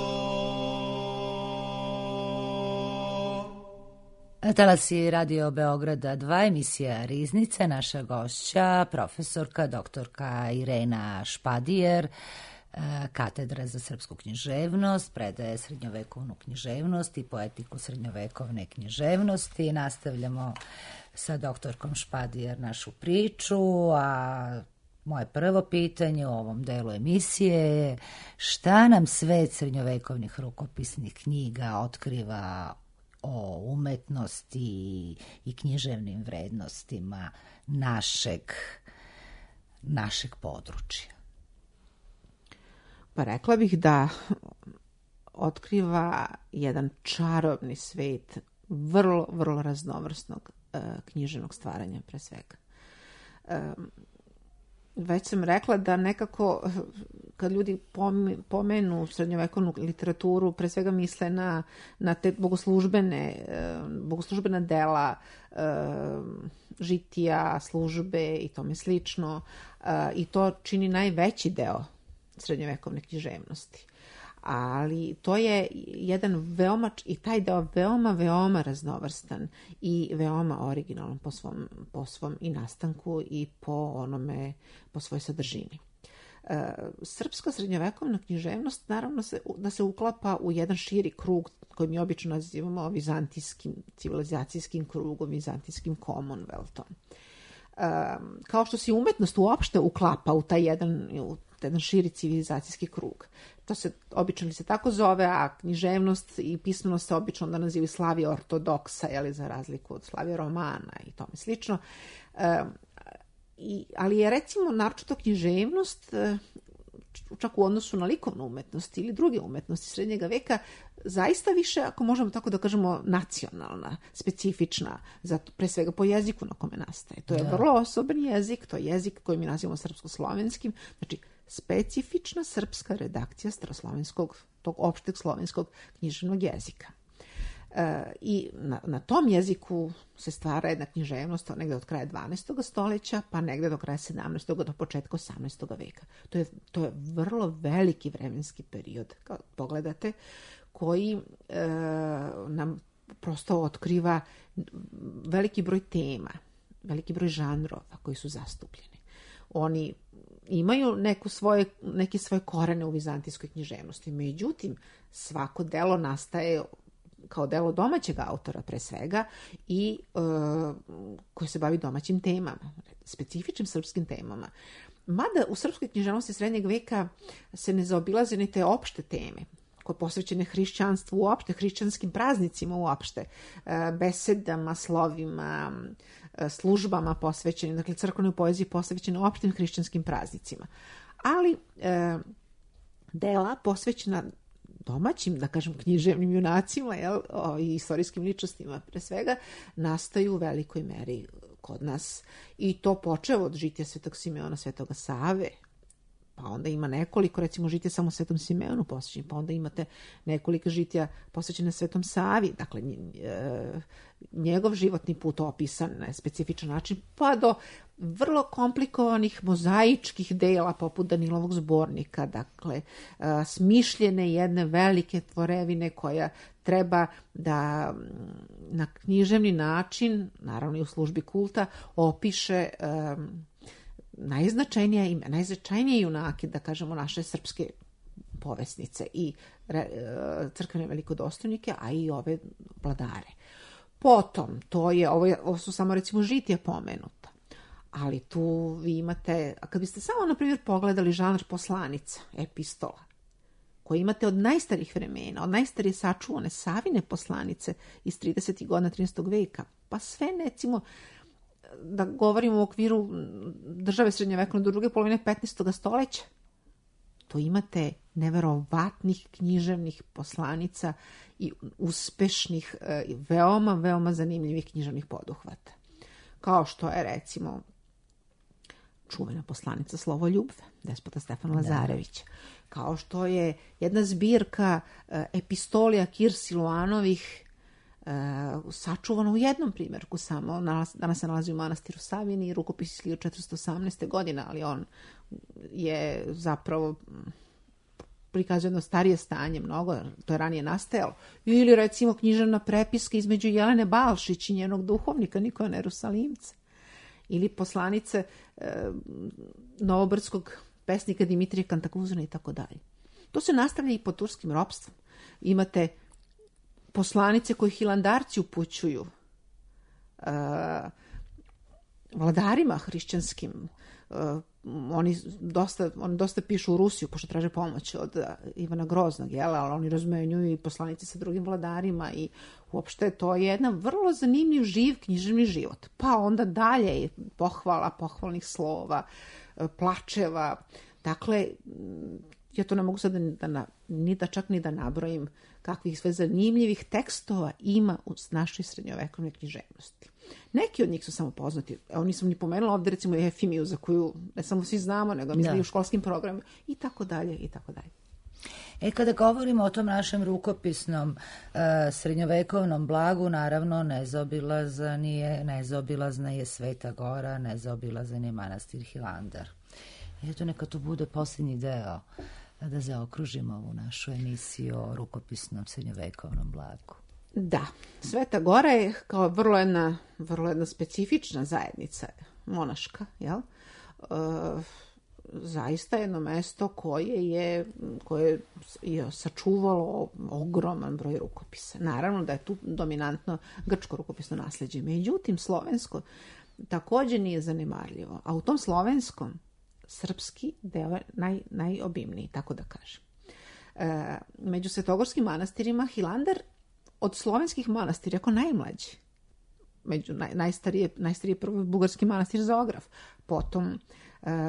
Talasi Radio Beograda dva, emisija Riznica, naša gošća, profesorka, doktorka Irena Špadijer, katedra za srpsku književnost, predaje srednjovekovnu književnost i poetiku srednjovekovne književnosti. Nastavljamo sa doktorkom Špadijer našu priču, a moje prvo pitanje u ovom delu emisije je šta nam svet srednjovekovnih rukopisnih knjiga otkriva o umetnosti i književnim vrednostima našeg, našeg područja? Pa rekla bih da otkriva jedan čarobni svet vrlo, vrlo raznovrsnog uh, književnog stvaranja pre svega. Um, već sam rekla da nekako kad ljudi pomenu srednjovekovnu literaturu, pre svega misle na, na te bogoslužbene, bogoslužbena dela, žitija, službe i tome slično. I to čini najveći deo srednjovekovne književnosti. Ali to je jedan veoma, i taj deo veoma, veoma raznovrstan i veoma originalan po svom, po svom i nastanku i po onome, po svojoj sadržini. E, srpska srednjovekovna književnost naravno se, da se uklapa u jedan širi krug koji mi obično nazivamo vizantijskim, civilizacijskim krugom, vizantijskim Commonwealthom. E, kao što se umetnost uopšte uklapa u taj jedan, u jedan širi civilizacijski krug. To se obično se tako zove, a književnost i pismenost se obično onda nazivaju Slavija ortodoksa, jeli, za razliku od Slavija romana i tome slično. E, i, ali je recimo naročito književnost, e, čak u odnosu na likovnu umetnost ili druge umetnosti srednjega veka, zaista više, ako možemo tako da kažemo, nacionalna, specifična, zato pre svega po jeziku na kome nastaje. To je da. vrlo osoban jezik, to je jezik koji mi nazivamo srpsko-slovenskim, znači specifična srpska redakcija staroslovenskog, tog opšteg slovenskog književnog jezika. E, I na, na tom jeziku se stvara jedna književnost negde od kraja dvanaestog stoljeća, pa negde do kraja sedamnaestog do početka osamnaestog veka. To je, to je vrlo veliki vremenski period, kao pogledate, koji e, nam prosto otkriva veliki broj tema, veliki broj žanrova koji su zastupljeni. Oni imaju neku svoje, neke svoje korene u vizantijskoj književnosti. Međutim, svako delo nastaje kao delo domaćeg autora pre svega i e, koji se bavi domaćim temama, specifičnim srpskim temama. Mada u srpskoj književnosti srednjeg veka se ne zaobilaze ni te opšte teme koje posvećene hrišćanstvu uopšte, hrišćanskim praznicima uopšte, besedama, slovima, službama posvećenim, dakle crkvenoj poeziji posvećene opštim hrišćanskim praznicima. Ali e, dela posvećena domaćim, da kažem, književnim junacima, jel, o, i istorijskim ličnostima pre svega, nastaju u velikoj meri kod nas. I to počeo od žitija Svetog Simeona, Svetoga Save, pa onda ima nekoliko, recimo žitija samo Svetom Simeonu posvećeni, pa onda imate nekoliko žitija posvećene Svetom Savi, dakle njegov životni put opisan na specifičan način, pa do vrlo komplikovanih mozaičkih dela poput Danilovog zbornika, dakle smišljene jedne velike tvorevine koja treba da na književni način, naravno i u službi kulta, opiše um, najznačajnije ime, najznačajnije junake, da kažemo, naše srpske povesnice i re, crkvene velikodostojnike, a i ove vladare. Potom, to je, ovo, je, ovo su samo recimo žitija pomenuta, ali tu vi imate, a kad biste samo, na primjer, pogledali žanr poslanica, epistola, koje imate od najstarijih vremena, od najstarije sačuvane Savine poslanice iz tridesetih godina trinaestog veka, pa sve, recimo, da govorimo u okviru države srednjovekovne do druge polovine petnaestog stoleća, to imate neverovatnih književnih poslanica i uspešnih, veoma, veoma zanimljivih književnih poduhvata. Kao što je, recimo, čuvena poslanica Slovoljubve, despota Stefan Lazarević. Kao što je jedna zbirka epistolija Kir Siluanovih, sačuvano u jednom primjerku samo, danas se nalazi u manastiru Savini i rukopis iz hiljadu četiristo osamnaeste. godine, ali on je zapravo prikazuje jedno starije stanje mnogo, to je ranije nastajalo. Ili recimo književna prepiska između Jelene Balšić i njenog duhovnika Nikola Jerusalimca. Ili poslanice e, novobrdskog pesnika Dimitrija Kantakuzina i tako dalje. To se nastavlja i pod turskim ropstvom. Imate poslanice koje hilandarci upućuju uh, vladarima hrišćanskim. Uh, oni, dosta, oni dosta pišu u Rusiju, pošto traže pomoć od uh, Ivana Groznog, jel? Ali oni razmenjuju i poslanice sa drugim vladarima i uopšte to je jedan vrlo zanimljiv, živ književni život. Pa onda dalje pohvala, pohvalnih slova, uh, plačeva. Dakle, ja to ne mogu sad da, da, ni da čak ni da nabrojim kakvih sve zanimljivih tekstova ima u našoj srednjovekovnoj književnosti. Neki od njih su samo poznati. Evo, nisam ni pomenula ovdje, recimo, Efimiju, za koju ne samo svi znamo, nego mislim i u školskim programima, i tako dalje, i tako dalje. E, kada govorimo o tom našem rukopisnom uh, srednjovekovnom blagu, naravno nezaobilazan je, nezaobilazna je Sveta Gora, nezaobilazan je manastir Hilandar. Eto, neka to bude posljednji deo da zaokružimo ovu našu emisiju o rukopisnom srednjovekovnom blagu. Da, Sveta Gora je kao vrlo jedna, vrlo jedna specifična zajednica monaška, jel? E, zaista jedno mesto koje je, koje je sačuvalo ogroman broj rukopisa. Naravno da je tu dominantno grčko rukopisno nasljeđe, međutim slovensko također nije zanemarljivo, a u tom slovenskom srpski deo je naj, najobimniji, tako da kažem. E, među svetogorskim manastirima Hilandar od slovenskih manastira jako najmlađi. Među naj, najstarije, najstarije prvo bugarski manastir Zograf, potom e,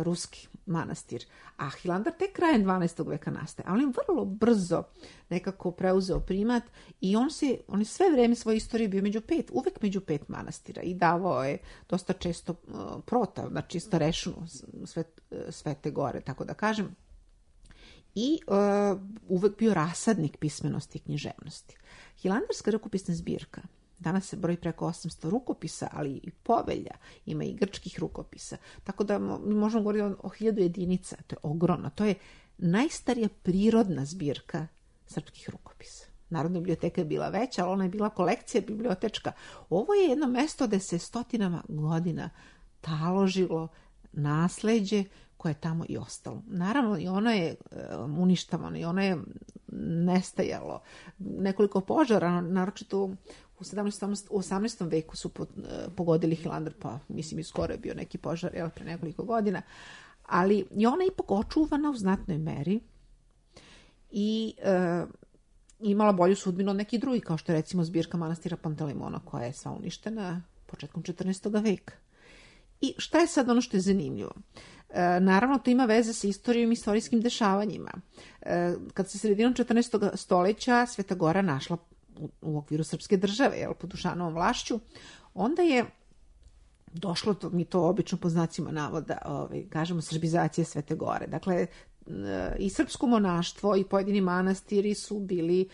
ruski manastir. A Hilandar tek krajem dvanaestog veka nastaje. Ali on vrlo brzo nekako preuzeo primat i on se, on je sve vreme svoje istorije bio među pet, uvek među pet manastira i davao je dosta često uh, prota, znači starešinu svet, Svete Gore, tako da kažem. I uh, uvek bio rasadnik pismenosti i književnosti. Hilandarska rukopisna zbirka, danas se broji preko osamsto rukopisa, ali i povelja, ima i grčkih rukopisa. Tako da mi možemo govoriti o, o hiljadu jedinica, to je ogromno. To je najstarija prirodna zbirka srpskih rukopisa. Narodna biblioteka je bila veća, ali ona je bila kolekcija bibliotečka. Ovo je jedno mesto gde se stotinama godina taložilo nasleđe koje je tamo i ostalo. Naravno, i ono je um, uništavano, i ono je nestajalo. Nekoliko požara, naročito u sedamnaestom. u osamnaestom veku su po, uh, pogodili Hilandar, pa mislim i skoro je bio neki požar, jel, pre nekoliko godina. Ali i ona je ipak očuvana u znatnoj meri i uh, imala bolju sudbinu od nekih drugih, kao što je recimo zbirka manastira Pantelimona, koja je sva uništena početkom četrnaestog veka. I šta je sad ono što je zanimljivo? E, naravno, to ima veze sa istorijom i istorijskim dešavanjima. E, kad se sredinom četrnaestog stoljeća Sveta Gora našla u, u okviru srpske države, jel, pod Dušanovom vlašću, onda je došlo, to, mi to obično po znacima navoda, ovaj, kažemo, srbizacija Svete Gore. Dakle, i srpsko monaštvo i pojedini manastiri su bili,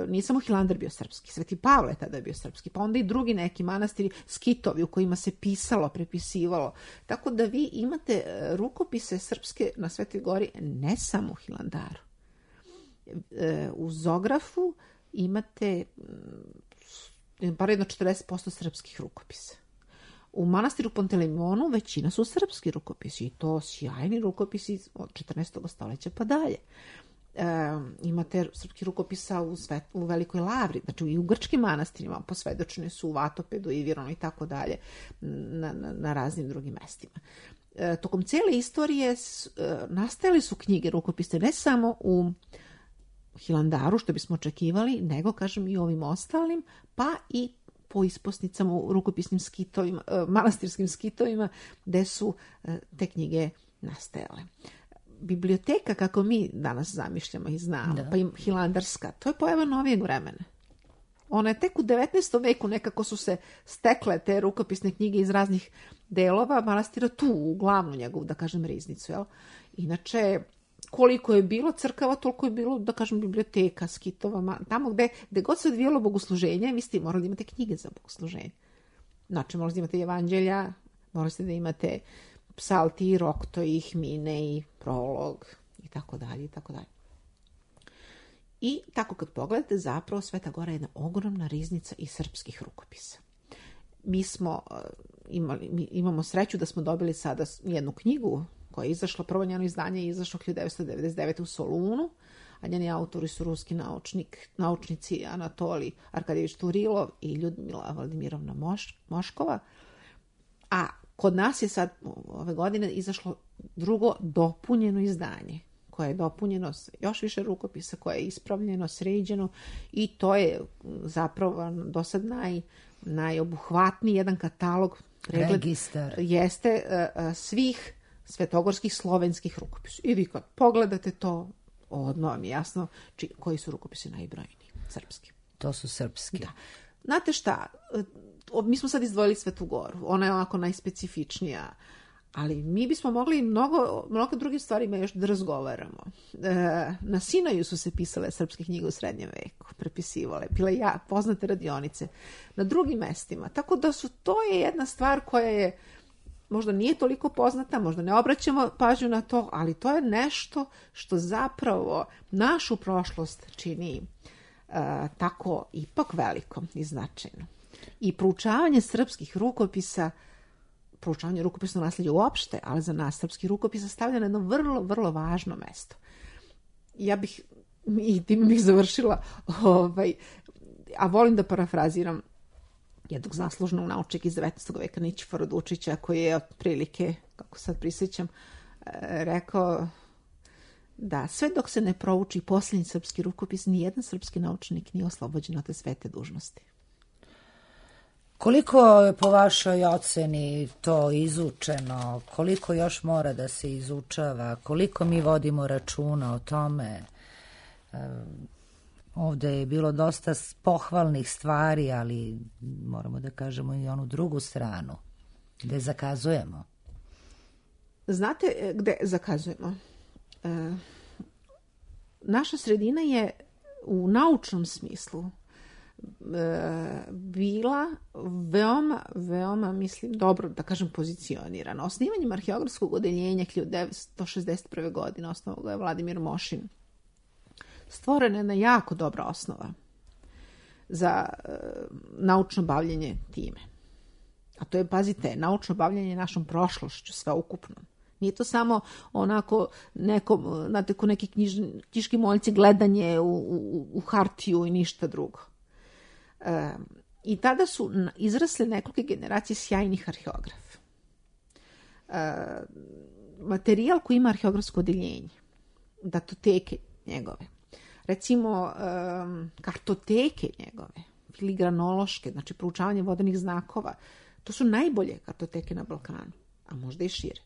nije samo Hilandar bio srpski, Sveti Pavle tada je bio srpski, pa onda i drugi neki manastiri, skitovi u kojima se pisalo, prepisivalo. Tako da vi imate rukopise srpske na Svetoj Gori ne samo u Hilandaru. U Zografu imate bar jedno četrdeset posto srpskih rukopisa. U manastiru Pantelimonu većina su srpski rukopisi i to sjajni rukopisi od četrnaestog stoljeća pa dalje. E, imate srpski rukopisa u, svet, u Velikoj Lavri, znači i u grčkim manastirima, posvedočene su u Vatopedu i Vironu i tako dalje, na, na, na raznim drugim mestima. E, tokom cijele istorije s, e, nastajali su knjige rukopise ne samo u Hilandaru, što bismo očekivali, nego, kažem, i ovim ostalim, pa i po isposnicama u rukopisnim skitovima, manastirskim skitovima, gde su te knjige nastajale. Biblioteka, kako mi danas zamišljamo i znamo, da. Pa i hilandarska, to je pojava novijeg vremena. Ona je tek u devetnaestom veku nekako su se stekle te rukopisne knjige iz raznih delova manastira tu, u glavnu njegovu, da kažem, riznicu. Jel? Inače, koliko je bilo crkava, toliko je bilo, da kažem, biblioteka, skitova, tamo gde, gde god se odvijalo bogosluženje, vi ste morali da imate knjige za bogosluženje. Znači, morali da imate evanđelja, morali ste da imate psalti, roktoji, hmine i prolog i tako dalje i tako dalje. I tako kad pogledate, zapravo Sveta Gora je jedna ogromna riznica iz srpskih rukopisa. Mi smo imali, mi imamo sreću da smo dobili sada jednu knjigu koja je izašla, prvo njeno izdanje je izašlo hiljadu devetsto devedeset devete. u Solunu, a njeni autori su ruski naučnik, naučnici Anatolij Arkadjević Turilov i Ljudmila Vladimirovna Moš, Moškova. A kod nas je sad ove godine izašlo drugo dopunjeno izdanje, koje je dopunjeno s još više rukopisa, koje je ispravljeno, sređeno i to je zapravo do sad naj, najobuhvatniji jedan katalog, pregled, registar. Jeste uh, svih svetogorskih slovenskih rukopisa. I vi kad pogledate to, odmah vam je jasno či, koji su rukopisi najbrojniji. Srpski. To su srpski. Da. Znate šta, mi smo sad izdvojili Svetu Goru. Ona je onako najspecifičnija, ali mi bismo mogli mnogo, mnogo drugim stvarima još da razgovaramo. E, na Sinaju su se pisale srpske knjige u srednjem veku, prepisivale, bile ja, poznate radionice na drugim mestima. Tako da su, to je jedna stvar koja je možda nije toliko poznata, možda ne obraćamo pažnju na to, ali to je nešto što zapravo našu prošlost čini uh, tako ipak velikom i značajno. I proučavanje srpskih rukopisa, proučavanje rukopisnog nasljeđa uopšte, ali za nas srpski rukopisa stavlja na jedno vrlo, vrlo važno mesto. Ja bih, i tim bih završila, ovaj, a volim da parafraziram jednog zaslužnog naučnika iz devetnaestog veka Nićifora Dučića, koji je otprilike, kako sad prisjećam, rekao da sve dok se ne prouči posljednji srpski rukopis, nijedan srpski naučnik nije oslobođen od te svete dužnosti. Koliko je po vašoj oceni to izučeno? Koliko još mora da se izučava? Koliko mi vodimo računa o tome? Ovde je bilo dosta pohvalnih stvari, ali moramo da kažemo i onu drugu stranu, gde zakazujemo. Znate gde zakazujemo? E, naša sredina je u naučnom smislu e, bila veoma, veoma, mislim, dobro, da kažem, pozicionirana. Osnivanjem arheografskog odeljenja hiljadu devetsto šezdeset prve. godine osnovao ga je Vladimir Mošin. Stvorena je jedna jako dobra osnova za e, naučno bavljenje time. A to je, pazite, naučno bavljenje našom prošlošću, sveukupno. Nije to samo onako neko, znate, ko neki knjiž, knjiški moljci gledanje u, u, u hartiju i ništa drugo. E, I tada su izrasle nekoliko generacije sjajnih arheografa. E, materijal koji ima arheografsko odeljenje, datoteke njegove, recimo um, kartoteke njegove, filigranološke, znači proučavanje vodenih znakova, to su najbolje kartoteke na Balkanu, a možda i šire.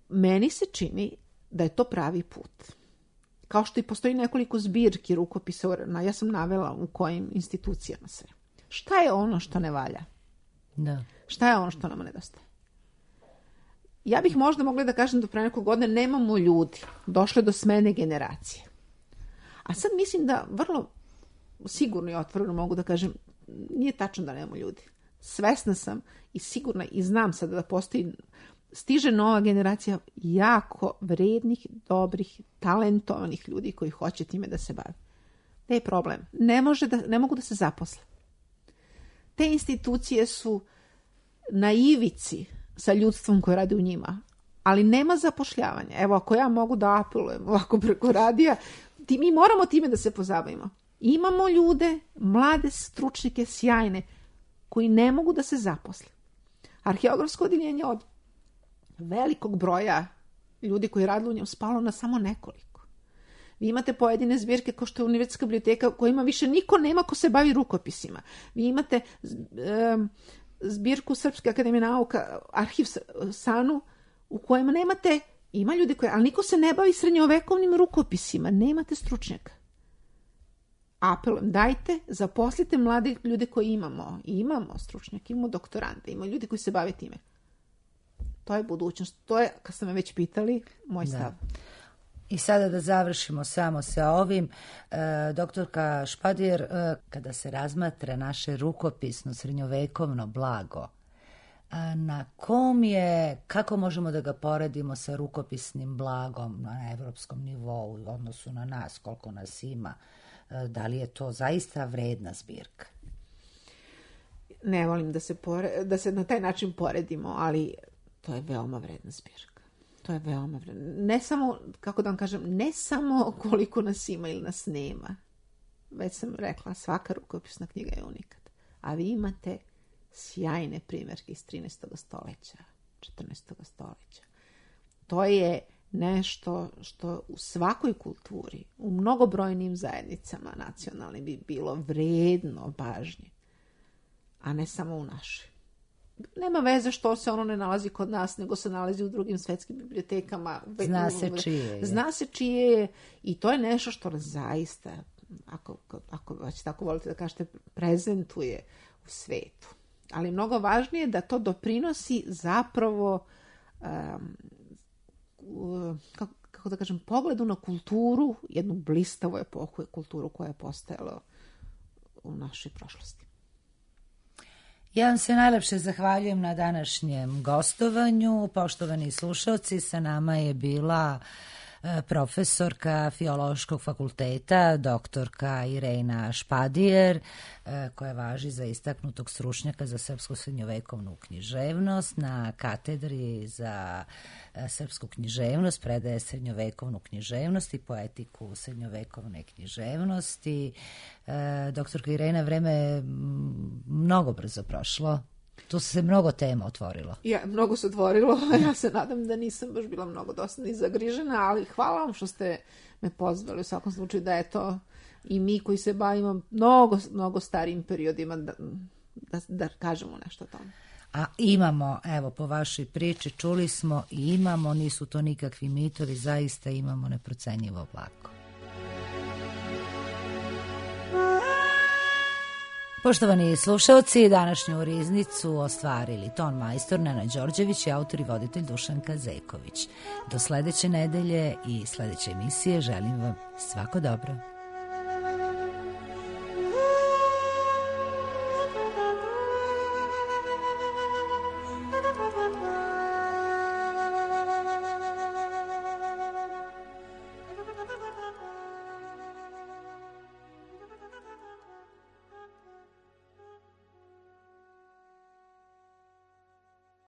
Meni se čini da je to pravi put. Kao što i postoji nekoliko zbirki rukopisa, ja sam navela u kojim institucijama sve. Šta je ono što ne valja? Da. Šta je ono što nam nedostaje? Ja bih možda mogla da kažem da pre nekog godine nemamo ljudi. Došle do smene generacije. A sad mislim da vrlo sigurno i otvoreno mogu da kažem, nije tačno da nemamo ljudi. Svesna sam i sigurna i znam sada da postoji, stiže nova generacija jako vrednih, dobrih, talentovanih ljudi koji hoće time da se bave. Ne je problem. Ne, može da, ne mogu da se zaposle. Te institucije su na ivici sa ljudstvom koje radi u njima, ali nema zapošljavanja. Evo, ako ja mogu da apelujem ovako preko radija, ti, mi moramo time da se pozabavimo. Imamo ljude, mlade stručnike, sjajne, koji ne mogu da se zaposle. Arheografsko odeljenje od velikog broja ljudi koji radili u njemu spalo na samo nekoliko. Vi imate pojedine zbirke kao što je Univerzitetska biblioteka kojima više niko nema ko se bavi rukopisima. Vi imate um, zbirku Srpske akademije nauka, arhiv Sanu, u kojima nemate, ima ljudi koji, ali niko se ne bavi srednjovekovnim rukopisima, nemate stručnjaka. Apelujem, dajte, zaposlite mlade ljude koji imamo. Imamo stručnjake, imamo doktorante, imamo ljudi koji se bave time. To je budućnost. To je, kad ste me već pitali, moj stav. Da. I sada da završimo samo sa ovim. E, doktorka Špadir, e, kada se razmatra naše rukopisno srednjovekovno blago, a na kom je, kako možemo da ga poredimo sa rukopisnim blagom na evropskom nivou u odnosu na nas, koliko nas ima? E, da li je to zaista vredna zbirka? Ne volim da se, pore, da se na taj način poredimo, ali to je veoma vredna zbirka. To je veoma vredno. Ne samo, kako da vam kažem, ne samo koliko nas ima ili nas nema. Već sam rekla, svaka rukopisna knjiga je unikat. A vi imate sjajne primjerke iz trinaestog stoleća, četrnaestog stoleća. To je nešto što u svakoj kulturi, u mnogobrojnim zajednicama nacionalnim bi bilo vredno pažnje, a ne samo u našoj. Nema veze što se ono ne nalazi kod nas, nego se nalazi u drugim svetskim bibliotekama. Zna se čije je. Zna se čije je i to je nešto što nas zaista, ako, ako već tako volite da kažete, prezentuje u svetu. Ali mnogo važnije da to doprinosi zapravo um, kako, kako da kažem, pogledu na kulturu, jednu blistavu epohu, kulturu koja je postojala u našoj prošlosti. Ja vam se najlepše zahvaljujem na današnjem gostovanju. Poštovani slušalci, sa nama je bila profesorka Filološkog fakulteta, doktorka Irena Špadijer, koja važi za istaknutog stručnjaka za srpsku srednjovekovnu književnost. Na katedri za srpsku književnost predaje srednjovekovnu književnost i poetiku srednjovekovne književnosti. Doktorka Irena, vreme je mnogo brzo prošlo. Tu se mnogo tema otvorilo. Ja, mnogo se otvorilo. Ja se nadam da nisam baš bila mnogo dosadna i zagrižena, ali hvala vam što ste me pozvali. U svakom slučaju da je to i mi koji se bavimo mnogo, mnogo starijim periodima da, da, da kažemo nešto o tome. A imamo, evo, po vašoj priči čuli smo i imamo, nisu to nikakvi mitovi, zaista imamo neprocenjivo blago. Poštovani slušalci, današnju riznicu ostvarili ton majstor Nenad Đorđević i autor i voditelj Dušanka Zeković. Do sledeće nedelje i sledeće emisije želim vam svako dobro.